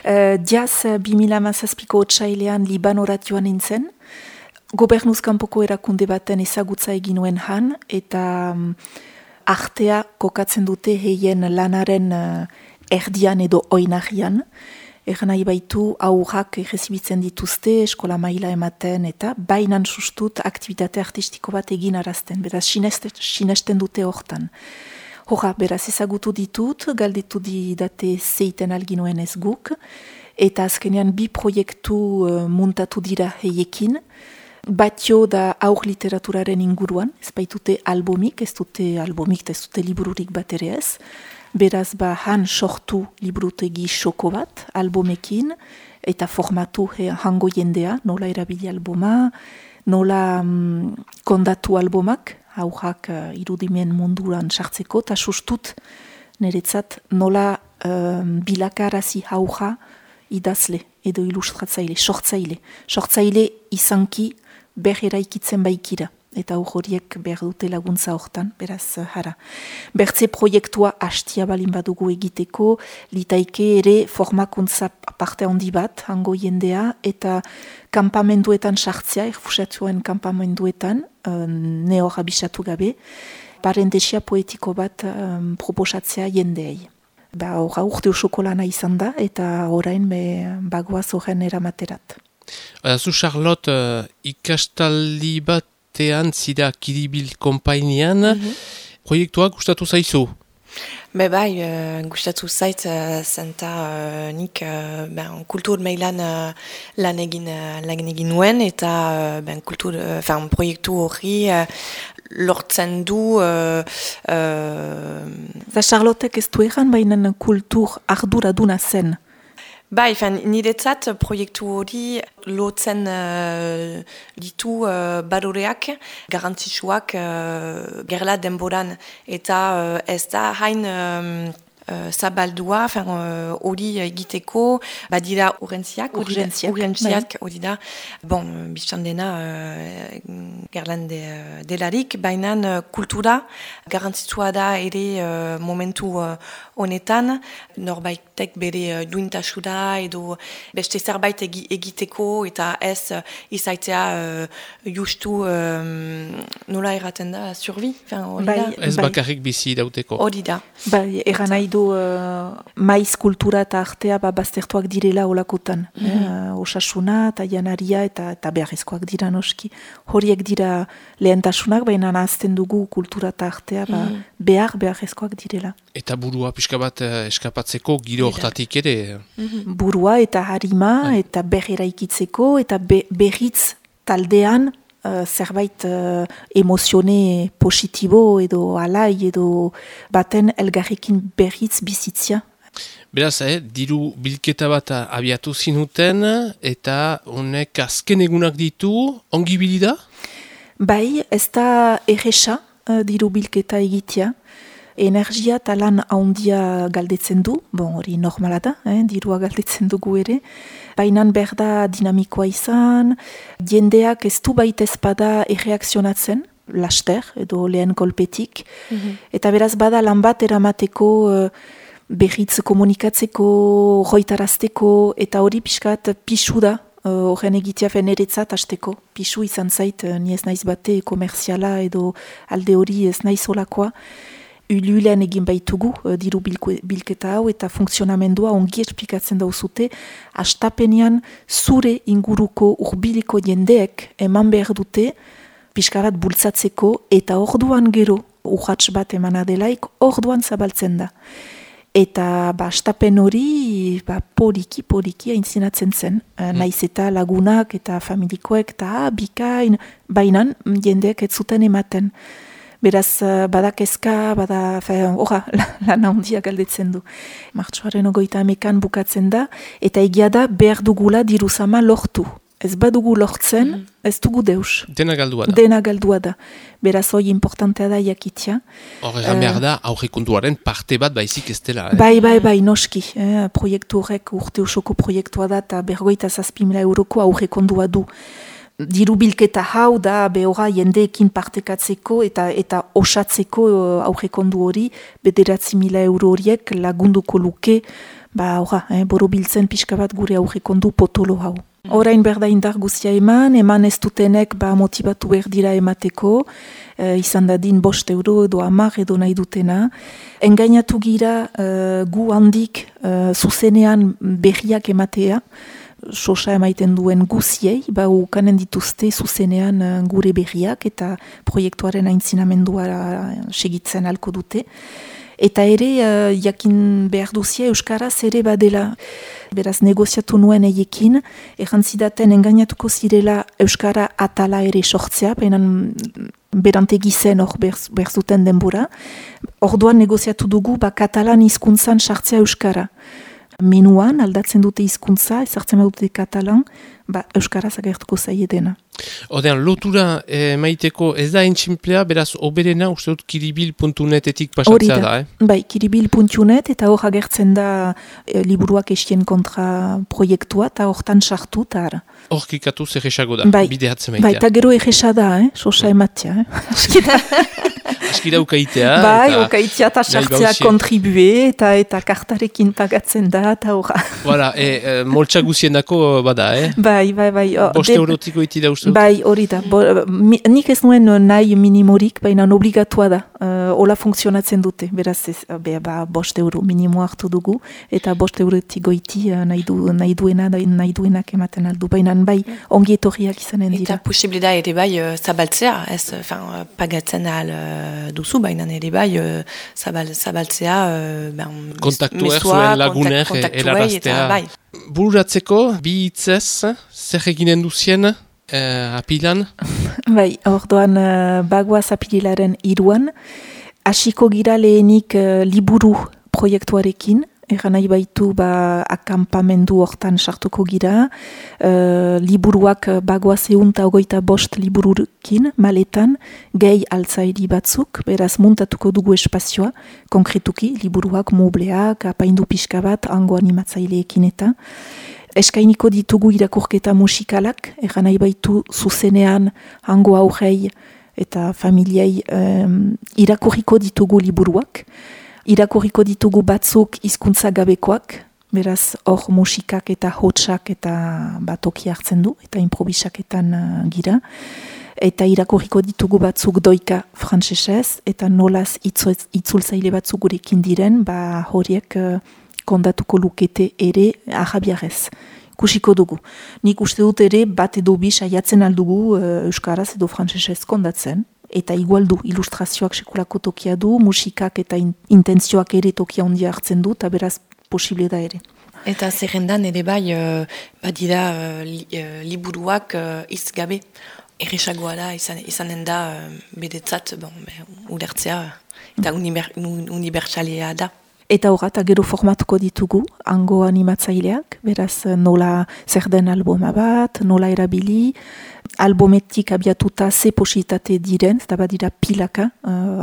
Diaz 2017ko otsailean Libanorat joan nintzen, gobernuz kanpoko erakunde baten ezagutza egin nuen han, eta artea kokatzen dute heien lanaren erdian edo oinarrian. Egan nahi baitu aurrak errezibitzen dituzte, eskola maila ematen, eta bainan sustut aktivitate artistiko bat egin arazten, beraz sinesten dute hortan. Hora, beraz ezagutu ditut, galdetu didate zeiten alginuen ez guk, eta azkenean bi proiektu muntatu dira heiekin, batio da aur literaturaren inguruan, ez baitute albumik, ez dute libururik bat ere ez, beraz han sortu liburutegi xoko bat, albumekin, eta formatu hango jendea, nola erabili albuma, nola kondatu albumak, aurrak irudimen munduran sartzeko, eta sustut niretzat nola bilakarazi aurra idazle edo ilustratzaile, sortzaile izanki berreraikitzen baikira. Eta horiek behar dute laguntza hortan, beraz jara. Bertze proiektua hastia balin badugu egiteko, litaike ere formakuntza parte handi bat, hango jendea, eta kanpamenduetan sartzea, erfusatuen kanpamenduetan, ne hor abisatu gabe, parentesia poetiko bat proposatzea jendeei. Urte osoko lana izan da, eta orain bagoaz horren eramaterat. Zu Charlotte, ikastaldi batean zira Kiribil konpainian, proiektuak gustatu zaizu? Bai, gustatu zait, zenta nik kultur mailan lan egin nuen, eta proiektu hori lortzen du... Charlotek ez du egan baina kultur arduraduna zen. Bai, niretzat proiektu hori lotzen ditu baloreak, garantzitsuak gerla denboran, eta ez da hain zabaldua, hori egiteko, badira urgentziak, hori da, biztan dena gerlan delarik, baina kultura garantzitsua da ere momentu honetan, norbaitek bere duintasuna edo beste zerbait egiteko eta ez izaitzea justu nola erraten da, survi? Ez bakarrik bizi dauteko. Hori da. Bai, eran nahi du maiz kultura eta artea baztertuak direla olakotan. Osasuna eta janaria eta beharrezkoak dira noski. Horiek dira lehentasunak, baina nazten dugu kultura eta artea beharrezkoak direla. Eta burua pixka bat eskapatzeko giro hortatik ere? Burua eta harima eta berreraikitzeko eta berritz taldean zerbait emozione positibo edo alai edo baten elgarrekin berritz bizitzia. Beraz, diru bilketa bat abiatu zinuten eta honek azken egunak ditu, ongi bilida? Bai, ez da erresa diru bilketa egitea. Energia eta lan haundia galdetzen du, hori normala da, dirua galdetzen dugu ere, baina behar da dinamikoa izan, jendeak ez du baita ezpada erreakzionatzen, laster edo lehen kolpetik, eta beraz bada lan bat eramateko berritz komunikatzeko, roitarazteko, eta hori pixkat pisu da, horren egitea feneretzat hasteko, pisu izan zait, ni ez naiz bate komerziala edo alde hori ez naiz olakoa, Ululen egin baitugu diru bilketa hau eta funksionamendua ongi esplikatzen dauzute, hastapenean zure inguruko urbiliko jendeek eman behar dute pixka bat bultzatzeko eta orduan gero urratx bat emana delaik orduan zabaltzen da. Eta hastapen hori poliki aintzinatzen zen, naiz eta lagunak eta familikoek eta bikain, bainan jendeek ez zuten ematen. Beraz, badakezka, lan handia galdetzen du. Martxoaren 30 bukatzen da, eta egia da behar dugula diruzama lortu. Ez badugu lortzen, ez dugu deus. Dena galdua da. Dena galdua da. Beraz, hoi importantea da jakitia. Hor egan behar da, aurrekontuaren parte bat baizik ez dela. Bai, noski. Proiektu horrek urte osoko proiektua da, eta 57.000 euroko aurrekondua du. Diru bilketa hau da behora jendeekin partekatzeko eta osatzeko aurrekondu hori 9.000 euro horiek lagunduko luke borobiltzen pixka bat gure aurrekondu potolo hau. Orain berda indar guztia eman ez dutenek motibatu behar dira emateko, izan dadin 5 euro edo 10 edo nahi dutena. Engainatu gira gu handik zuzenean berriak ematea, sosa emaiten duen guziei, ukanen dituzte zuzenean gure berriak eta proiektuaren aintzinamendua segitzen alko dute. Eta ere, jakin behar duzia Euskaraz ere badela. Beraz, negoziatu nuen eiekin, errantzidaten engainatuko zirela Euskara atala ere sortzea, bainan berantegi zen hor behar zuten denbora. Orduan negoziatu dugu, katalan hizkuntzan sartzea Euskara. Menuan, aldatzen dute hizkuntza, ezartzen dute katalan, Euskaraz agertuko zaiedena. Odean, lotura maiteko ez da entxinplea, beraz, oberena uste dut kiribil.netetik pasatzea da, Bai, kiribil.net eta hor agertzen da liburuak estien kontra proiektua, eta hortan sartu, eta ara. Hor kikatu zer esago da, bideatzen maitea. Bai, eta gero egesa da, sosa ematea, Askira ukaitea. Bai, ukaitea eta sartzea kontribue, eta kartarekin pagatzen da, eta horra. Voilà, moltsa guzienako bada, Bai. 5 eurotiko iti da uste dut? Bai, hori da. Nik ez nuen nahi minimorik, baina obligatua da. Ola funtzionatzen dute. Beraz, 5 euro minimoa hartu dugu, eta 5 eurotik goiti nahi duenak ematen aldu. Baina bai, ongi etorriak izanen dira. Eta posibilida ere bai zabaltzea, pagatzen ahal duzu, baina ere bai zabaltzea kontaktuek zuen lagunek eraraztea. Bururatzeko, bi hitzez, zer eginen duzien apilan? Bai, orduan bagoaz apililaren 3, hasiko gira lehenik liburu proiektuarekin, eran nahi baitu akampamendu hortan sartuko gira, liburuak bagoaz 125 liburukin, maletan, gehi altzairi batzuk, beraz muntatuko dugu espazioa, konkretuki, liburuak, mobleak, apaindu pixka bat, hango animatzaileekin eta. Eskainiko ditugu irakurketa musikalak, eran nahi baitu zuzenean hango aurrei eta familiei irakurriko ditugu liburuak. Irakurriko ditugu batzuk hizkuntza gabekoak, beraz hor musikak eta hotsak eta toki hartzen du, eta improvisaketan gira. Eta irakurriko ditugu batzuk doika frantsesez, eta nolaz itzultzaile batzuk gurekin diren, horiek kondatuko lukete ere arabiarez. Kusiko dugu. Nik uste dut ere bat edo bi saiatzen aldugu Euskaraz edo frantsesez kondatzen. Eta igual du, ilustrazioak sekulako tokia du, musikak eta intentzioak ere tokia ondia hartzen du, eta beraz posible da ere. Eta zerrendan ere bai, badira liburuak izgabe, erresagoa da, izanen da bedetzat, ulertzea, eta unibertsalea da. Eta horra, eta gero formatuko ditugu, hango animatzaileak, beraz nola zer den alboma bat, nola erabili, albometik abiatuta ze positate diren, eta badira pilaka,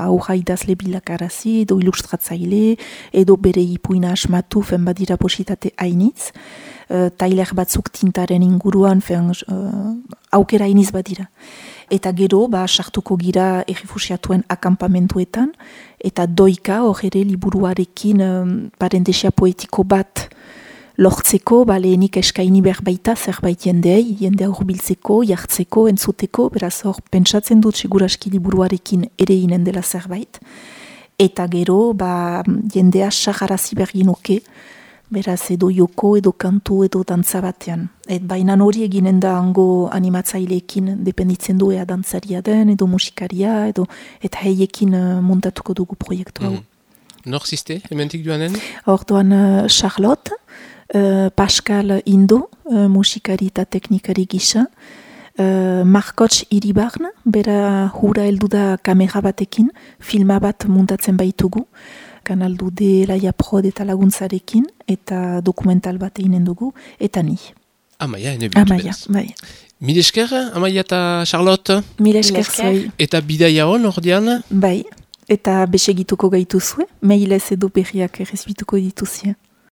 aurra idazle bilakarazi, edo ilustratzaile, edo bere ipuina asmatu, badira positate hainitz, tailer batzuk tintaren inguruan, aukera hainitz badira. Eta gero, sartuko gira errefusiatuen akampamentuetan, eta doika hor ere liburuarekin parentesia poetiko bat lortzeko, lehenik eskaini behar baita zerbait jendea hurbiltzeko, jartzeko, entzuteko, beraz hor pentsatzen dut seguraski liburuarekin ere inen dela zerbait. Eta gero, jendea saharazi berginuke, beraz edo joko, edo kantu, edo dantza batean. Baina hori eginen da hango animatzaileekin dependitzen du ea dantzaria den, edo musikaria, eta heiekin montatuko dugu proiektu hau. Nor ziste, hementik duanen? Orduan Charlotte, Pascal Indo, musikari eta teknikari gisa, Markotx Iribarn, bera hura heldu da kamera batekin, filma bat montatzen baitugu, Kanal D, Laia Prod eta laguntzarekin, eta dokumental bat eginen dugu, eta ni. Amaia, ene bintu beraz. Bai. Mil esker, Amaia eta Charlotte? Mil esker zoi. Eta bidaia hon, ordean? Bai, eta besegituko gaituzue, mailez edo berriak errezbituko dituzue.